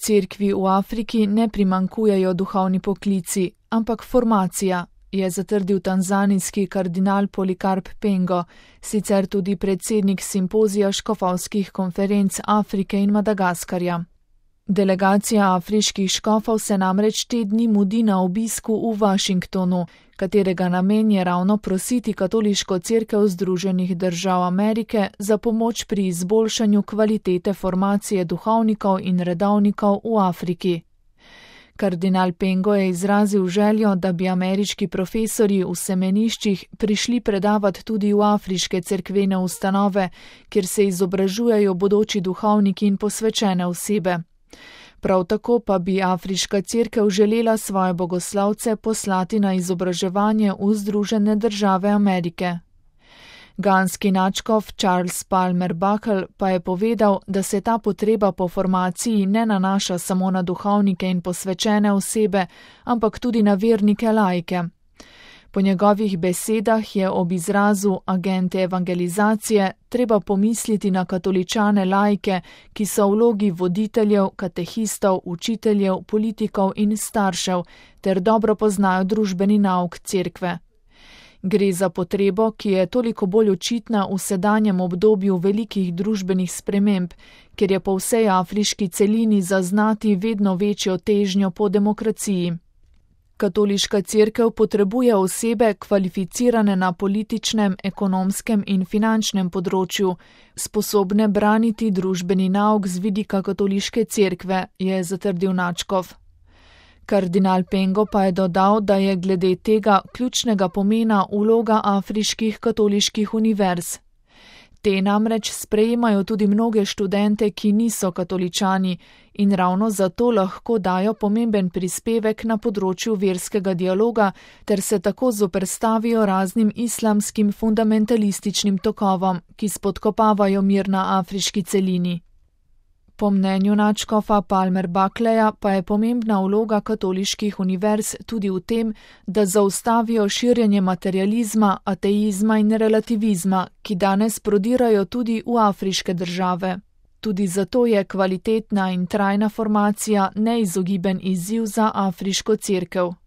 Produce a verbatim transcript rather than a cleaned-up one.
cerkvi v Afriki ne primanjkujejo duhovni poklici, ampak formacija, je zatrdil tanzanijski kardinal Polikarp Pengo, sicer tudi predsednik simpozija škofovskih konferenc Afrike in Madagaskarja. Delegacija afriških škofov se namreč te dni mudi na obisku v Washingtonu, katerega namen je ravno prositi katoliško cerkev Združenih držav Amerike za pomoč pri izboljšanju kvalitete formacije duhovnikov in redovnikov v Afriki. Kardinal Pengo je izrazil željo, da bi ameriški profesorji v semeniščih prišli predavati tudi v afriške cerkvene ustanove, kjer se izobražujejo bodoči duhovniki in posvečene osebe. Prav tako pa bi afriška cerkev želela svoje bogoslovce poslati na izobraževanje v Združene države Amerike. Ganski nadškof Charles Palmer Buckle pa je povedal, da se ta potreba po formaciji ne nanaša samo na duhovnike in posvečene osebe, ampak tudi na vernike laike. Po njegovih besedah je ob izrazu agente evangelizacije treba pomisliti na katoličane laike, ki so v vlogi voditeljev, katehistov, učiteljev, politikov in staršev, ter dobro poznajo družbeni nauk cerkve. Gre za potrebo, ki je toliko bolj očitna v sedanjem obdobju velikih družbenih sprememb, ker je po vsej afriški celini zaznati vedno večjo težnjo po demokraciji. Katoliška cerkev potrebuje osebe kvalificirane na političnem, ekonomskem in finančnem področju, sposobne braniti družbeni nauk z vidika katoliške cerkve, je zatrdil nadškof. Kardinal Pengo pa je dodal, da je glede tega ključnega pomena vloga afriških katoliških univerz. Te namreč sprejemajo tudi mnoge študente, ki niso katoličani in ravno zato lahko dajo pomemben prispevek na področju verskega dialoga ter se tako zoperstavijo raznim islamskim fundamentalističnim tokovom, ki spodkopavajo mir na afriški celini. Po mnenju nadškofa Palmer Buckleja pa je pomembna vloga katoliških univerz tudi v tem, da zaustavijo širjenje materializma, ateizma in relativizma, ki danes prodirajo tudi v afriške države. Tudi zato je kvalitetna in trajna formacija neizogiben izziv za afriško cerkev.